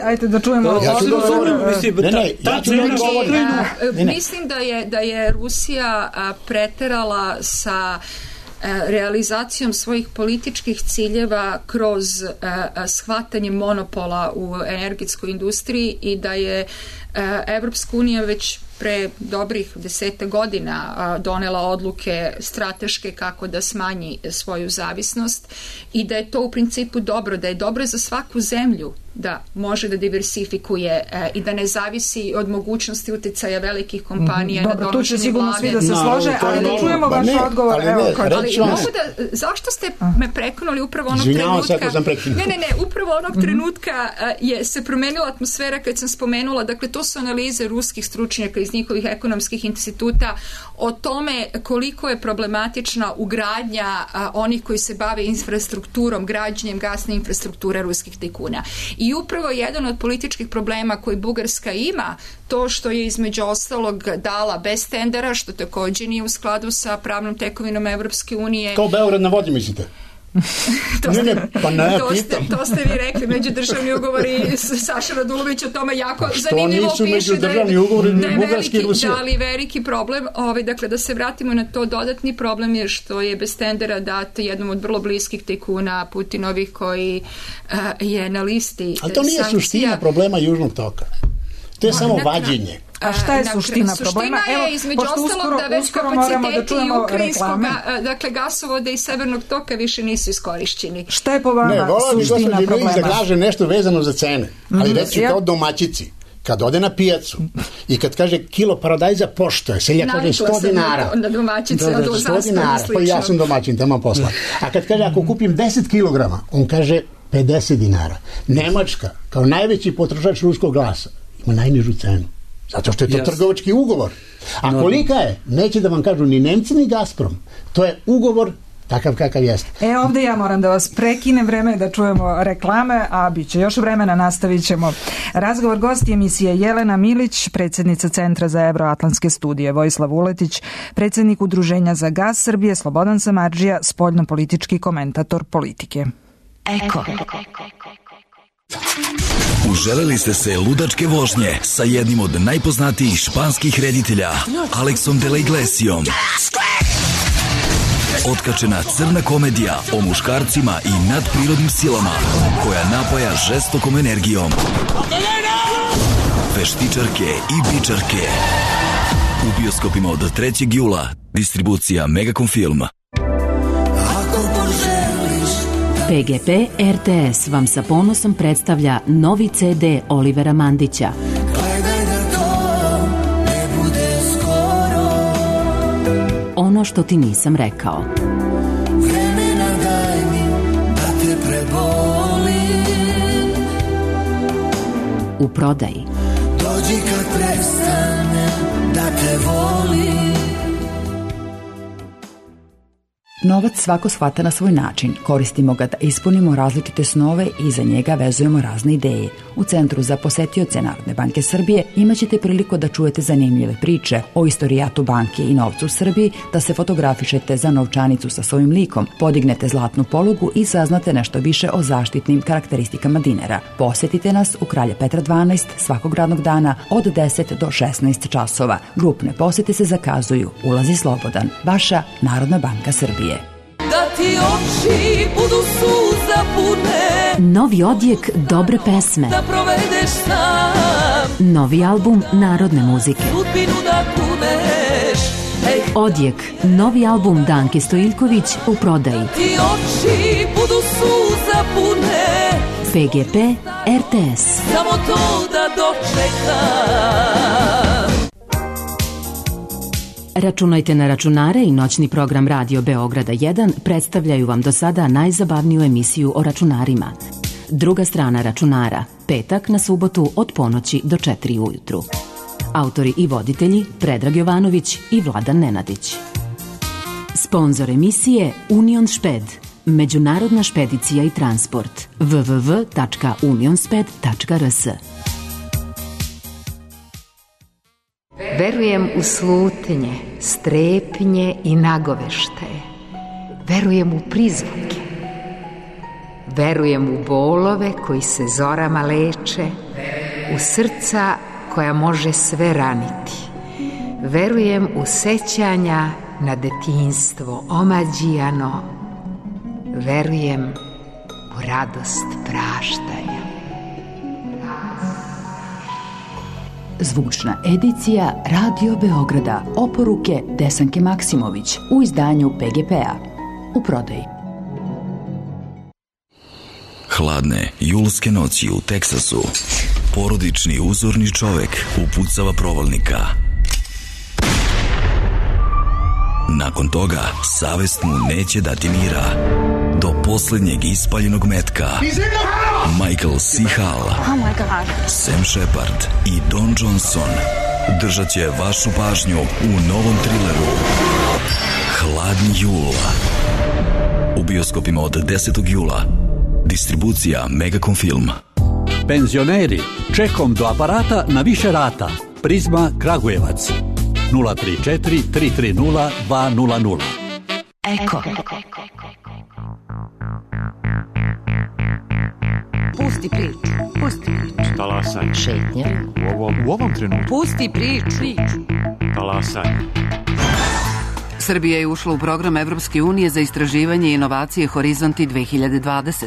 A: Ajde da čujemo.
B: Mislim da je Rusija preterala sa realizacijom svojih političkih ciljeva kroz shvatanje monopola u energetskoj industriji i da je Evropska unija već pre dobrih 10 godina donela odluke strateške kako da smanji svoju zavisnost i da je to u principu dobro, da je dobro za svaku zemlju da može da diversifikuje i da ne zavisi od mogućnosti uticaja velikih kompanija na donošenje vlade. Dobro, tu će sigurno svi da se slože, ali da čujemo vaš odgovor. Zašto ste me prekonali upravo onog trenutka? Upravo onog trenutka se promenila atmosfera kad sam spomenula, dakle to su analize ruskih stručnjaka iz iz njihovih ekonomskih instituta o tome koliko je problematična ugradnja onih koji se bave infrastrukturom, građenjem gasne infrastrukture ruskih tajkuna. I upravo jedan od političkih problema koji Bugarska ima, to što je između ostalog dala bez tendera, što također nije u skladu sa pravnom tekovinom Evropske unije.
C: Kao Beograd na vodi, mislite?
B: To ste vi rekli, međudržavni ugovori. Saša Radulović o tome jako zanimljivo piše da je veliki problem. Dakle, da se vratimo na to, dodatni problem je što je bez tendera dat jednom od vrlo bliskih tajkuna Putinovih koji je na listi sankcija.
C: Ali to nije suština problema Južnog toka. To je samo vađenje.
A: A šta je suština problema?
B: Suština je između ostalog da već kapaciteti ukrajinskog gasovoda i Severnog toka više nisu iskorišćeni.
A: Šta je po vama suština problema?
C: Da kaže nešto vezano za cene, ali reći kao domaćici. Kad ode na pijacu i kad kaže kilo paradajza pošto seljak kaže 100 dinara.
B: Na domaćice,
C: 100 dinara, pa ja sam domaćin, tamo posla. A kad kaže ako kupim 10 kilograma, on kaže 50 dinara. Nemačka, kao najveći potrošač ruskog glasa, ima najnižu cenu. Zato što je to trgovački ugovor. A kolika je? Neće da vam kažu ni Nemci ni Gazprom. To je ugovor takav kakav jeste.
A: Ovdje ja moram da vas prekinem, vreme da čujemo reklame, a bit će još vremena, nastavit ćemo razgovor. Gosti emisije Jelena Milić, predsjednica Centra za Evroatlantske studije, Vojislav Vuletić, predsjednik Udruženja za gas Srbije, Slobodan Samardžija, spoljnopolitički komentator politike.
E: Eko. Uželeli ste se ludačke vožnje sa jednim od najpoznatijih španskih reditelja, Alexom de la Iglesiom. Otkačena crna komedija o muškarcima i nadprirodnim silama koja napaja žestokom energijom. Veštičarke i bičarke. U bioskopima od 3. jula. Distribucija Megacom Film.
F: PGP RTS vam sa ponosom predstavlja novi CD Olivera Mandića. Gledaj da to ne bude skoro. Ono što ti nisam rekao. Vremena daj mi da te prebolim. U prodaji. Dođi kad prestane da te volim. Novac svako shvata na svoj način. Koristimo ga da ispunimo različite snove i za njega vezujemo razne ideje. U Centru za posetioce Narodne banke Srbije imaćete priliku da čujete zanimljive priče o istorijatu banke i novcu u Srbiji, da se fotografišete za novčanicu sa svojim likom, podignete zlatnu polugu i saznate nešto više o zaštitnim karakteristikama dinara. Posetite nas u Kralja Petra 12 svakog radnog dana od 10 do 16 časova. Grupne posete se zakazuju. Ulaz je slobodan. Vaša Narodna banka Srbije. Da ti oči budu suza pune. Novi odjek dobre pesme. Da provedeš sam. Novi album narodne muzike. Sudbinu da kuneš. Odjek, novi album Danke Stojiljković u prodaji. Ti oči budu suza pune. PGP RTS. Samo to da dočekam. Računajte na računare i noćni program Radio Beograda 1 predstavljaju vam do sada najzabavniju emisiju o računarima. Druga strana računara, petak na subotu od ponoći do 4 ujutru. Autori i voditelji Predrag Jovanović i Vladan Nenadić. Sponzor emisije Union Šped, međunarodna špedicija i transport. www.unionsped.rs.
G: Verujem u slutnje, strepnje i nagoveštaje. Verujem u prizvuke. Verujem u bolove koji se zorama leče, u srca koja može sve raniti. Verujem u sećanja na detinjstvo omađijano. Verujem u radost praštanja.
F: Zvučna edicija Radio Beograda. Oporuke Desanke Maksimović u izdanju PGP-a. U prodaji.
E: Hladne julske noći u Teksasu. Porodični uzorni čovek upucava provalnika. Nakon toga, savest mu neće dati mira. Do posljednjeg ispaljenog metka. Michael C. Hall, Sam Shepard i Don Johnson držat će vašu pažnju u novom trileru Hladni jul. U bioskopima od 10. jula. Distribucija Megacom Film.
H: Penzioneri, čekom do aparata na više rata. Prizma Kragujevac 034 330 200.
F: Eko.
I: Pusti priču. Pusti priču.
J: Talasaj.
I: Šetnja.
J: U ovom trenutku.
I: Pusti priču.
J: Talasaj.
I: Srbija je ušla u program Evropske unije za istraživanje i inovacije Horizonti 2020.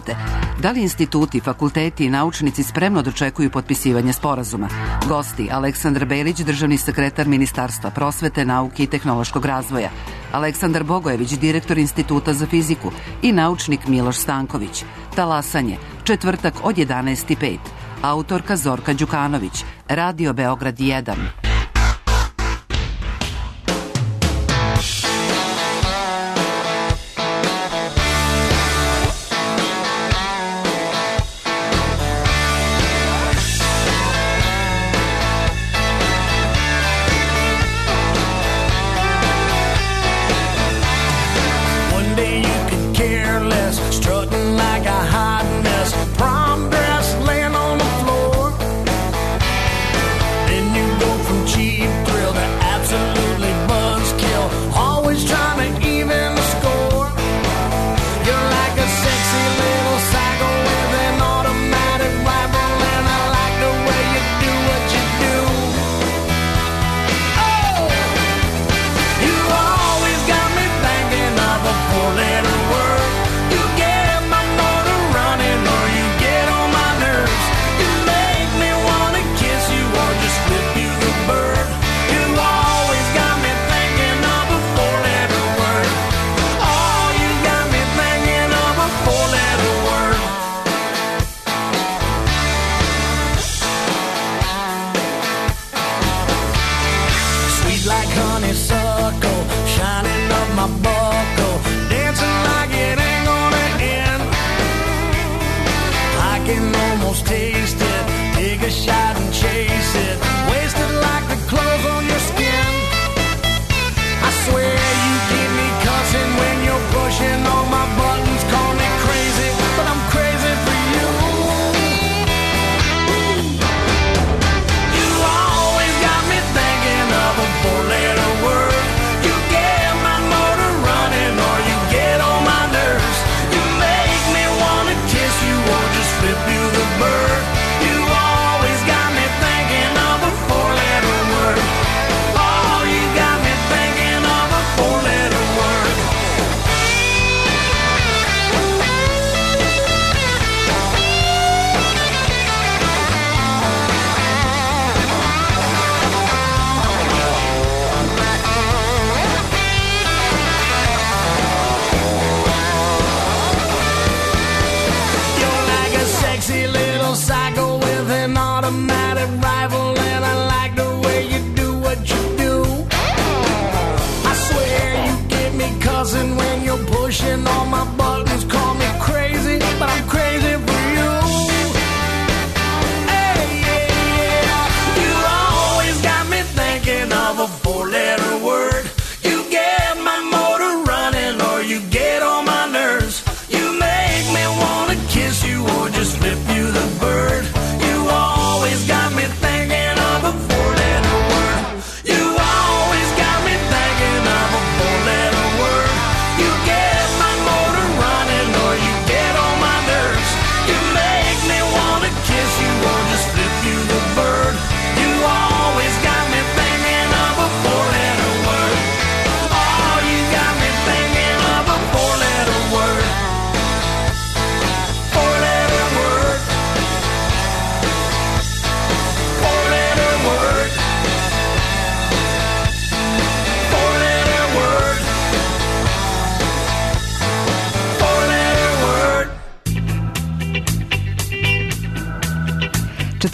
I: Da li instituti, fakulteti i naučnici spremno dočekuju potpisivanje sporazuma? Gosti: Aleksandar Belić, državni sekretar Ministarstva prosvete, nauke i tehnološkog razvoja, Aleksandar Bogojević, direktor Instituta za fiziku i naučnik Miloš Stanković. Talasanje, četvrtak od 11:05. Autorka Zorka Đukanović, Radio Beograd 1.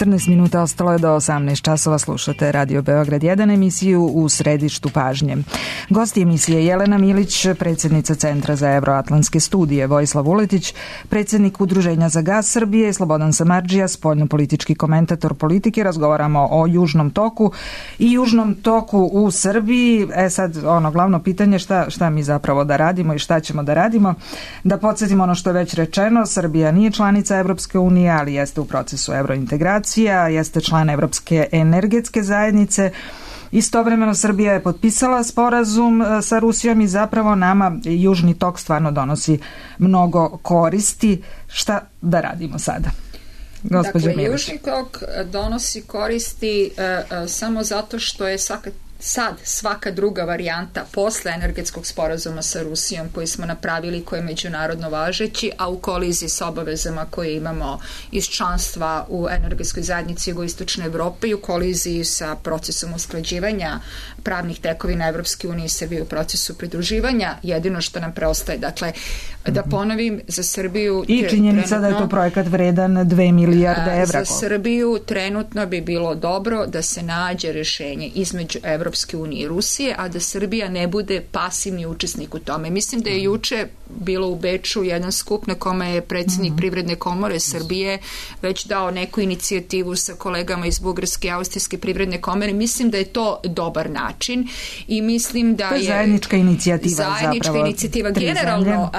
A: 14 minuta ostalo je do 18 časova. Slušate Radio Beograd 1, emisiju U središtu pažnje. Gosti emisije Jelena Milić, predsjednica Centra za evroatlantske studije, Vojislav Vuletić, predsjednik Udruženja za gas Srbije, Slobodan Samardžija, spoljnopolitički komentator politike. Razgovaramo o Južnom toku i Južnom toku u Srbiji. Sad glavno pitanje šta mi zapravo da radimo i šta ćemo da radimo. Da podsjetimo ono što je već rečeno, Srbija nije članica Evropske unije, ali jeste u procesu evrointegracija, jeste član Evropske energetske zajednice. Istovremeno Srbija je potpisala sporazum sa Rusijom i zapravo nama Južni tok stvarno donosi mnogo koristi. Šta da radimo sada?
B: Dakle, Južni tok donosi koristi samo zato što je svaka druga varijanta posle energetskog sporazuma sa Rusijom koji smo napravili, koji je međunarodno važeći, a u koliziji sa obavezama koje imamo iz članstva u energetskoj zajednici jugoistočne Evrope i u koliziji sa procesom usklađivanja pravnih tekovina Evropske unije i Srbije u procesu pridruživanja, jedino što nam preostaje. Dakle, da ponovim, za Srbiju...
A: I činjenica da je to projekat vredan 2 milijarde evra.
B: Za Srbiju trenutno bi bilo dobro da se nađe rješenje između Evropske unije i Rusije, a da Srbija ne bude pasivni učesnik u tome. Mislim da je juče bilo u Beču jedan skup na kome je predsjednik Privredne komore Srbije već dao neku inicijativu sa kolegama iz Bugarske i Austrijske privredne komore. Mislim da je to dobar način i mislim da je
A: zajednička inicijativa.
B: Generalno,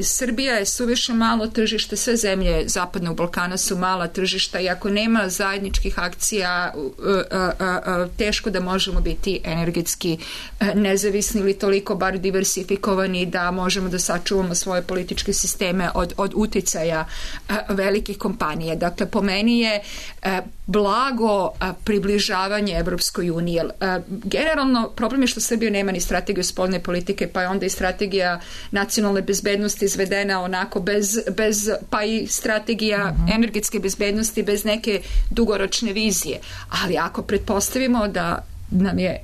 B: Srbija je suviše malo tržište, sve zemlje Zapadnog Balkana su mala tržišta i ako nema zajedničkih akcija, teško da možemo biti energetski nezavisni ili toliko bar diversifikovani da možemo da sačuvamo svoje političke sisteme od uticaja velikih kompanija. Dakle, po meni je blago približavanje Evropskoj uniji. Generalno, problem je što Srbija nema ni strategiju spoljne politike, pa je onda i strategija nacionalne bezbednosti izvedena onako bez pa i strategija energetske bezbednosti bez neke dugoročne vizije. Ali ako pretpostavimo da nam je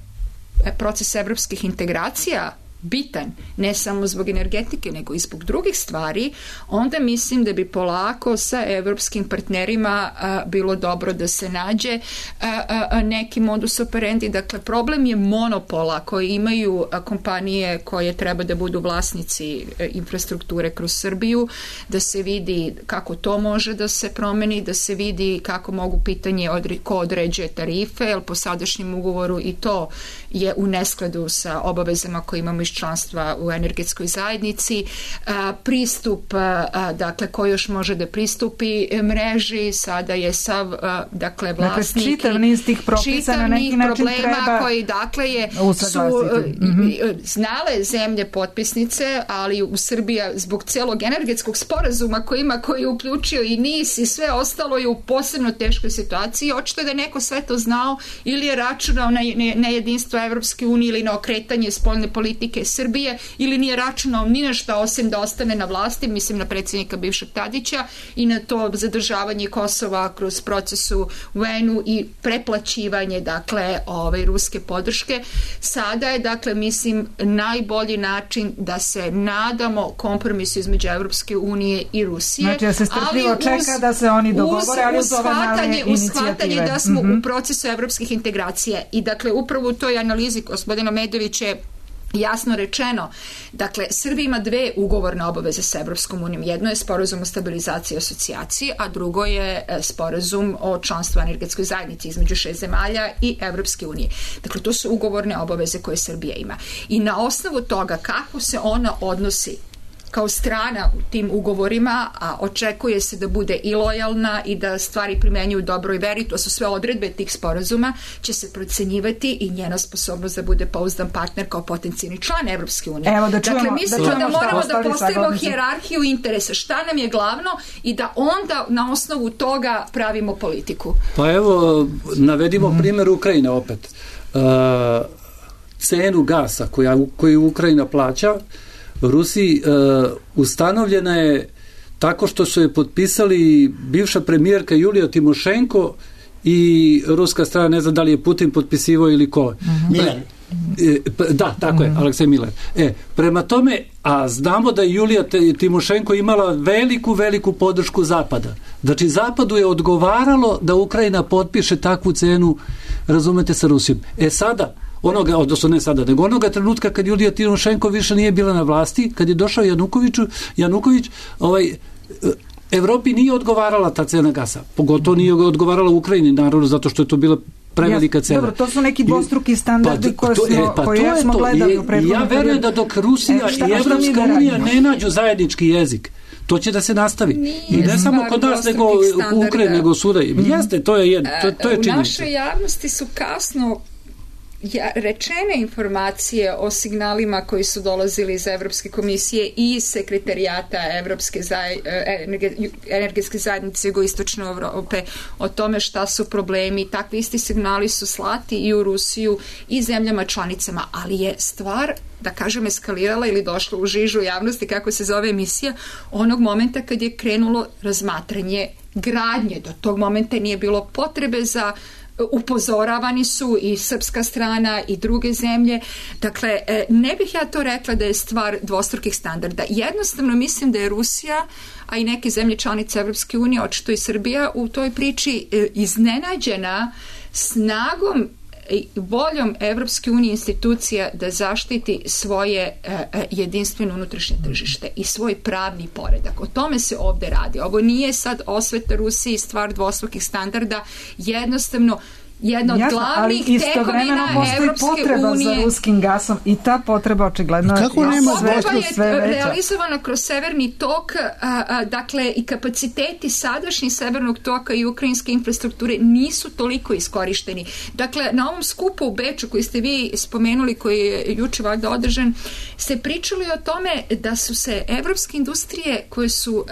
B: proces evropskih integracija bitan, ne samo zbog energetike, nego i zbog drugih stvari, onda mislim da bi polako sa evropskim partnerima bilo dobro da se nađe neki modus operandi. Dakle, problem je monopola koji imaju kompanije koje treba da budu vlasnici infrastrukture kroz Srbiju, da se vidi kako to može da se promeni, da se vidi kako mogu pitanje ko određuje tarife, jer po sadašnjem ugovoru i to je u neskladu sa obavezama koje imamo iz članstva u energetskoj zajednici, pristup, dakle, ko još može da pristupi mreži, sada je sav, dakle, vlasnik,
A: čitav niz tih propisa na neki način treba
B: koji, dakle, su znale zemlje potpisnice, ali u Srbija zbog celog energetskog sporazuma koji je uključio i NIS i sve ostalo je u posebno teškoj situaciji. Očito je da neko sve to znao ili je računao na jedinstvo Evropske unije ili na okretanje spoljne politike Srbije ili nije računao ni na šta osim da ostane na vlasti, mislim na predsjednika bivšeg Tadića i na to zadržavanje Kosova kroz procesu UN-u i preplaćivanje, dakle, ruske podrške. Sada je, dakle, mislim, najbolji način da se nadamo kompromisu između Evropske unije i Rusije.
A: Znači da se strpljivo čeka da se oni dogovore, ali uz ove male inicijative.
B: Uz shvatanje da smo u procesu evropskih integracija i, dakle, upravo u toj analizi gospodina Medovića je jasno rečeno, dakle, Srbija ima dve ugovorne obaveze sa Evropskom unijom. Jedno je sporazum o stabilizaciji i asocijaciji, a drugo je sporazum o članstvu energetskoj zajednici između 6 zemalja i Evropske unije. Dakle, to su ugovorne obaveze koje Srbija ima. I na osnovu toga kako se ona odnosi kao strana u tim ugovorima, a očekuje se da bude i lojalna i da stvari primenjuju dobro i veri, to su sve odredbe tih sporazuma, će se procenjivati i njena sposobnost da bude pouzdan partner kao potencijalni član Evropske unije. Dakle, mislimo da moramo da postavimo hijerarhiju interesa, šta nam je glavno i da onda na osnovu toga pravimo politiku.
D: Pa evo, navedimo primjer Ukrajine opet. Cenu gasa koju Ukrajina plaća Rusiji ustanovljena je tako što su je potpisali bivša premijerka Julija Timošenko i ruska strana, ne znam da li je Putin potpisivao ili ko. Da, tako je, Aleksej Miller. Prema tome, a znamo da je Julija Timošenko imala veliku podršku Zapada. Znači, Zapadu je odgovaralo da Ukrajina potpiše takvu cenu, razumete, sa Rusijom. Sada, odnosno ne sada, nego onoga trenutka kad Julija Timošenko više nije bila na vlasti, kad je došao Januković, Evropi nije odgovarala ta cena gasa. Pogotovo nije odgovarala Ukrajini, naravno, zato što je to bila prevelika cena.
A: Dobro, to su neki dvostruki standardi koje smo gledali u prethodnom periodu. Ja verujem da
D: dok Rusija i Evropska unija ne nađu zajednički jezik, to će da se nastavi. I ne samo kod nas, nego u Ukrajini, nego svuda. Jeste, to je činjenica.
B: U našoj javnosti su kasno rečene informacije o signalima koji su dolazili iz Evropske komisije i iz sekretarijata energetske zajednice jugoistočne Evrope o tome šta su problemi. Takvi isti signali su slati i u Rusiju i zemljama članicama, ali je stvar, da kažem, eskalirala ili došla u žižu javnosti, kako se zove emisija, onog momenta kad je krenulo razmatranje gradnje. Do tog momenta nije bilo potrebe za upozoravani su i srpska strana i druge zemlje. Dakle, ne bih ja to rekla da je stvar dvostrukih standarda. Jednostavno mislim da je Rusija, a i neke zemlje članice Evropske unije, očito i Srbija, u toj priči iznenađena snagom i voljom Evropske unije institucija da zaštiti svoje jedinstveno unutrašnje tržište i svoj pravni poredak. O tome se ovde radi. Ovo nije sad osveta Rusiji, stvar dvostrukih standarda, jednostavno jedna od glavnih tekovina Evropske unije.
A: Za ruskim gasom i ta potreba očigledno je
B: realizovana kroz severni tok, dakle i kapaciteti sadašnji severnog toka i ukrajinske infrastrukture nisu toliko iskorišteni. Dakle, na ovom skupu u Beču koji ste vi spomenuli, koji je juče valjda održan, se pričali o tome da su se evropske industrije koje su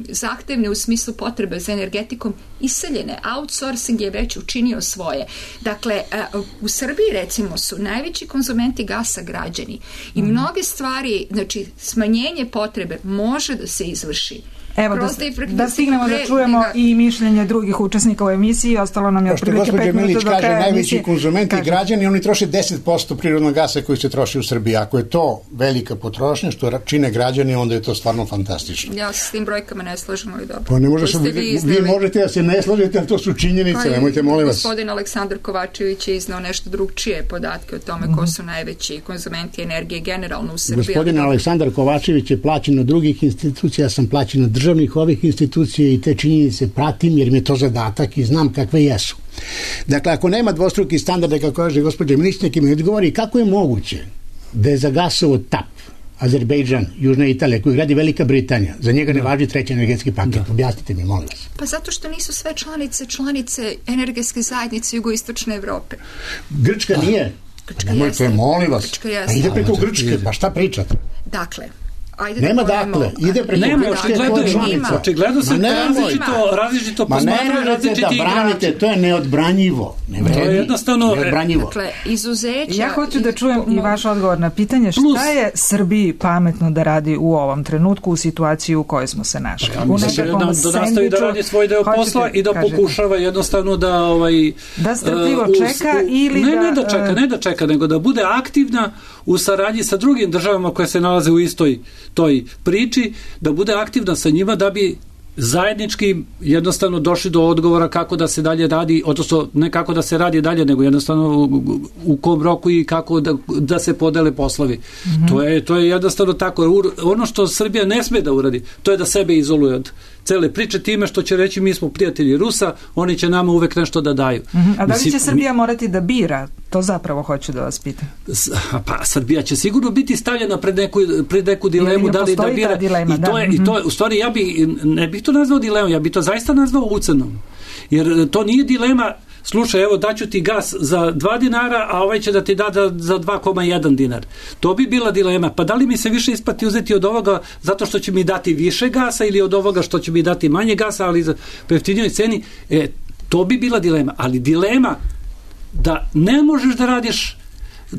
B: zahtevne u smislu potrebe za energetikom iseljene. Outsourcing je već učinio svoje. Dakle, u Srbiji recimo su najveći konzumenti gasa građani i mnoge stvari, znači smanjenje potrebe može da se izvrši.
A: Evo, da stignemo da čujemo i mišljenje drugih učesnika u emisiji, ostalo nam je otprilike 5 minuta do kraja emisije.
C: Najveći konzumenti građani, oni troše 10% prirodnog gasa koji se troši u Srbiji. Ako je to velika potrošnja, što čine građani, onda je to stvarno fantastično.
B: Ja se s tim brojkama ne slažem, ali dobro.
C: Pa ne može se, vi možete da se ne slažete, ali to su činjenice, nemojte, molim vas.
B: Gospodin Aleksandar Kovačević je iznao nešto drugčije podatke o tome ko su najveći konzumenti energije generalno u Srbiji.
K: Gospodin Aleksandar Kovačević je plaćen od drugih institucija, ja sam plaćen od državnih ovih institucija i te činjenice pratim jer mi je to zadatak i znam kakve jesu. Dakle, ako nema dvostruki standarda, kako kaže gospođa ministarka, mi odgovori kako je moguće da je za gasovod TAP Azerbejdžan, Južna Italija, koju gradi Velika Britanija, za njega ne važi treći energetski paket. Objasnite mi, molim vas.
B: Pa zato što nisu sve članice energetske zajednice jugoistočne Evrope.
C: Grčka nije.
B: Grčka jeste.
C: Molim vas. Pa ide preko Grčke, pa šta pričate?
B: Dakle,
C: nema dakle, ide preko
D: očigledno se različito posmatraju različiti igrači.
C: Branite, to je neodbranjivo.
D: To je jednostavno
B: neodbranjivo. Dakle, izuzeća...
A: Ja hoću da čujem i vaš odgovor na pitanje šta je Srbiji pametno da radi u ovom trenutku u situaciji u kojoj smo se našli.
D: Ja mislim da nastavi da radi svoj deo posla i da pokušava jednostavno da
A: da strpljivo čeka ili
D: ne da čeka, nego da bude aktivna u saradnji sa drugim državama koje se nalaze u istoj toj priči, da bude aktivna sa njima da bi zajednički jednostavno došli do odgovora kako da se dalje radi, odnosno ne kako da se radi dalje, nego jednostavno u kom roku i kako da se podele poslovi. To je jednostavno tako. Ono što Srbija ne sme da uradi, to je da sebe izoluje od cele priče time što će reći mi smo prijatelji Rusa, oni će nama uvek nešto da daju.
A: A da li će Srbija morati da bira? To zapravo hoću da vas pitam.
D: Pa Srbija će sigurno biti stavljena pred neku dilemu da li da bira.
A: Dilema,
D: I to u stvari ne bih to nazvao dilemom, ja bih to zaista nazvao ucenom. Jer to nije dilema, slušaj, evo daću ti gas za 2 dinara, a ovaj će da ti da za 2,1 dinar. To bi bila dilema. Pa da li mi se više isplati uzeti od ovoga zato što će mi dati više gasa ili od ovoga što će mi dati manje gasa, ali za jeftinijoj ceni? To bi bila dilema. Ali dilema da ne možeš da radiš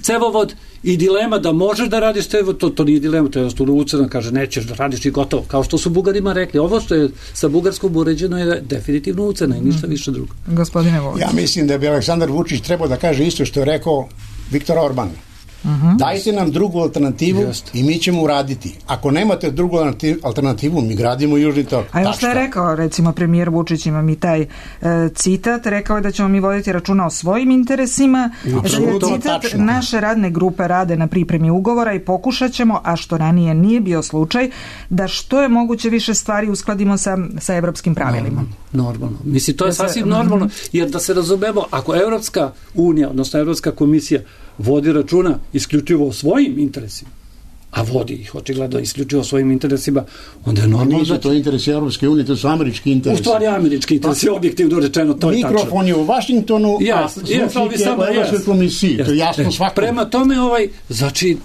D: cevovod i dilema da možeš da radiš cevovod, to nije dilema, to je jednostavno ucena, kaže nećeš da radiš i gotovo, kao što su Bugarima rekli. Ovo što je sa Bugarskom uređeno je definitivno ucena i ništa više drugo.
A: Gospodine Vučić.
C: Ja mislim da bi Aleksandar Vučić trebao da kaže isto što je rekao Viktor Orban. Dajte nam drugu alternativu i mi ćemo uraditi. Ako nemate drugu alternativu, mi gradimo Južni tok.
A: A još što je rekao, recimo premijer Vučić, ima mi taj citat, rekao je da ćemo mi voditi računa o svojim interesima. Citat, naše radne grupe rade na pripremi ugovora i pokušat ćemo, a što ranije nije bio slučaj, da što je moguće više stvari uskladimo sa evropskim pravilima.
D: Normalno. Mislim, to je sasvim normalno, jer da se razumemo, ako Evropska unija, odnosno Evropska komisija vodi računa isključivo o svojim interesima, a vodi ih očigledno isključivo o svojim interesima, onda je normalno...
K: Nisu to interesi Evropske unije, to su američki interesi.
D: U stvari američki interesi, objektivno rečeno, to je tačno.
K: Mikrofon je u Vašingtonu, a slušnik je u Evropskoj komisiji, to je jasno svako.
D: Prema tome, znači,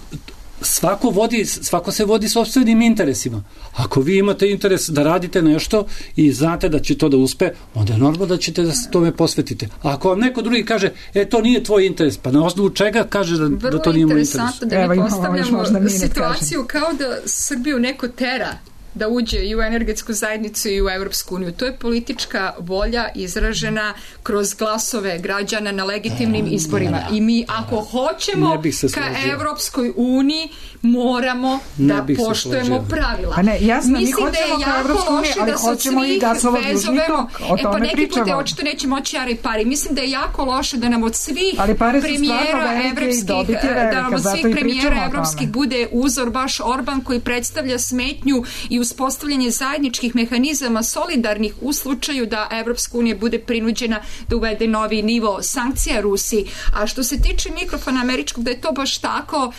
D: svako se vodi sopstvenim interesima. Ako vi imate interes da radite nešto i znate da će to da uspe, onda je normalno da ćete da se tome posvetite. A ako vam neko drugi kaže, to nije tvoj interes, pa na osnovu čega kaže da to nije moj interes?
B: Vrlo interesantno da mi postavljamo situaciju kao da Srbiju neko tera da uđe i u energetsku zajednicu i u Evropsku uniju. To je politička volja izražena kroz glasove građana na legitimnim izborima. I mi, ako hoćemo ka Evropskoj uniji, moramo da poštujemo pravila.
A: Pa ne, jasno, mi hoćemo ka Evropskoj uniji, ali hoćemo i gasovod Južni tok. O tome
B: neki put očito neće moći jari pari. Mislim da je jako loše da nam od svih premijera evropskih bude uzor baš Orban, koji predstavlja smetnju i uspostavljanje zajedničkih mehanizama solidarnih u slučaju da Evropska unija bude prinuđena da uvede novi nivo sankcija Rusiji. A što se tiče mikrofona američkog, da je to baš tako,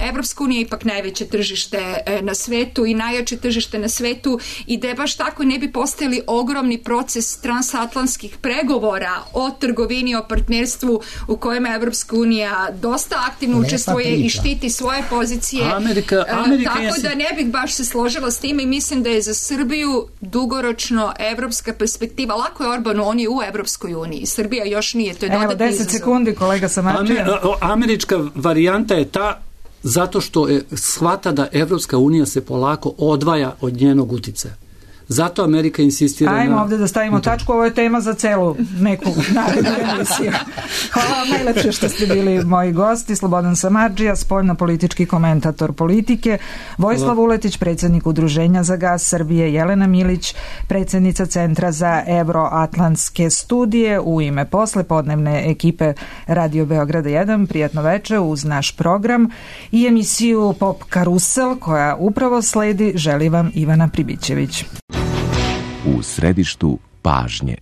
B: Evropska unija je ipak najveće tržište na svetu i najjače tržište na svetu i da je baš tako ne bi postojali ogromni proces transatlantskih pregovora o trgovini, o partnerstvu u kojem Evropska unija dosta aktivno učestvuje i štiti svoje pozicije. Tako da ne bih baš se složila s time i mislim da je za Srbiju dugoročno evropska perspektiva. Lako je Orbanu, on je u Evropskoj uniji. Srbija još nije, to je dodatni izazov.
A: 10 sekundi, kolega Samarčija.
D: Američka varijanta je ta zato što shvata da Evropska unija se polako odvaja od njenog uticaja. Zato Amerika insistira
A: Ajmo ovdje da stavimo tačku, ovo je tema za celu neku narednu emisiju. Hvala vam najlepše što ste bili moji gosti. Slobodan Samardžija, spoljno-politički komentator politike, Vojislav Vuletić, predsjednik Udruženja za gas Srbije, Jelena Milić, predsjednica Centra za Evroatlantske studije, u ime poslepodnevne ekipe Radio Beograda 1. Prijatno večer uz naš program i emisiju Pop Karusel koja upravo sledi, želi vam Ivana Pribićević.
L: U središtu pažnje.